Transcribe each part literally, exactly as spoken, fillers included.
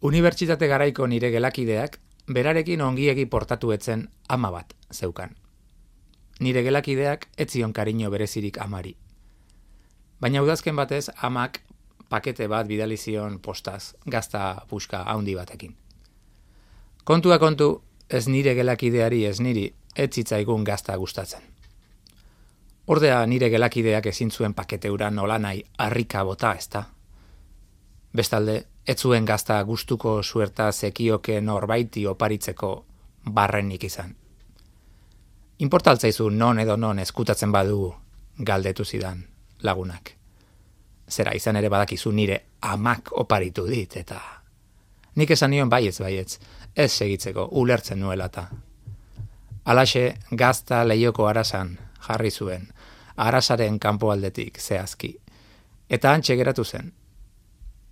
Unibertsitate garaiko nire gelakideak berarekin ongiegi portatu etzen ama bat zeukan. Nire gelakideak ez zion kariño berezirik amari. Baina udazken batez amak pakete bat bidali zion postaz, gazta puska haundi batekin. Kontua kontu, ez nire gelakideari ez niri, ez zitzaigun gazta gustatzen. Ordea nire gelakideak ezin zuen pakete hura nolanai harrika bota, ezta? Bestalde, ez zuen gazta gustuko suerta zekioke norbaiti oparitzeko barrenik izan. Inportaltzaizu non edo non eskutatzen badugu, galdetu zidan lagunak. Zera izan ere badakizu nire amak oparitu dit, eta nik esan nion baietz baietz, ez segitzeko ulertzen nuelata. Alaxe gazta lehioko arasan jarri zuen, arasaren kanpoaldetik zehazki, eta hantxe geratu zen.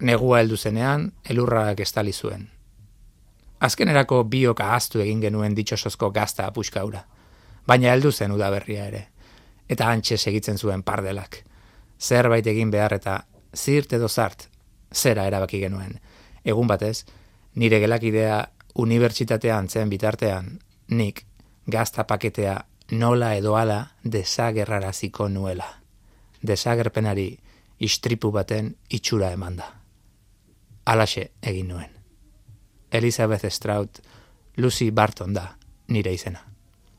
Negua heldu zenean, elurrak estali zuen. Azkenerako biok ahaztu egin genuen ditxosozko gazta puskaura, baina heldu zen udaberria ere, eta hantxe segitzen zuen pardelak. Zerbait egin behar eta zirt edo zart, zera erabaki genuen. Egun batez, nire gelakidea unibertsitatean zen bitartean, nik gazta paketea nola edo ala desagerraraziko nuela. Desagerpenari istripu baten itxura emanda. Alaxe egin nuen. Elizabeth Strout, Lucy Barton da nire izena.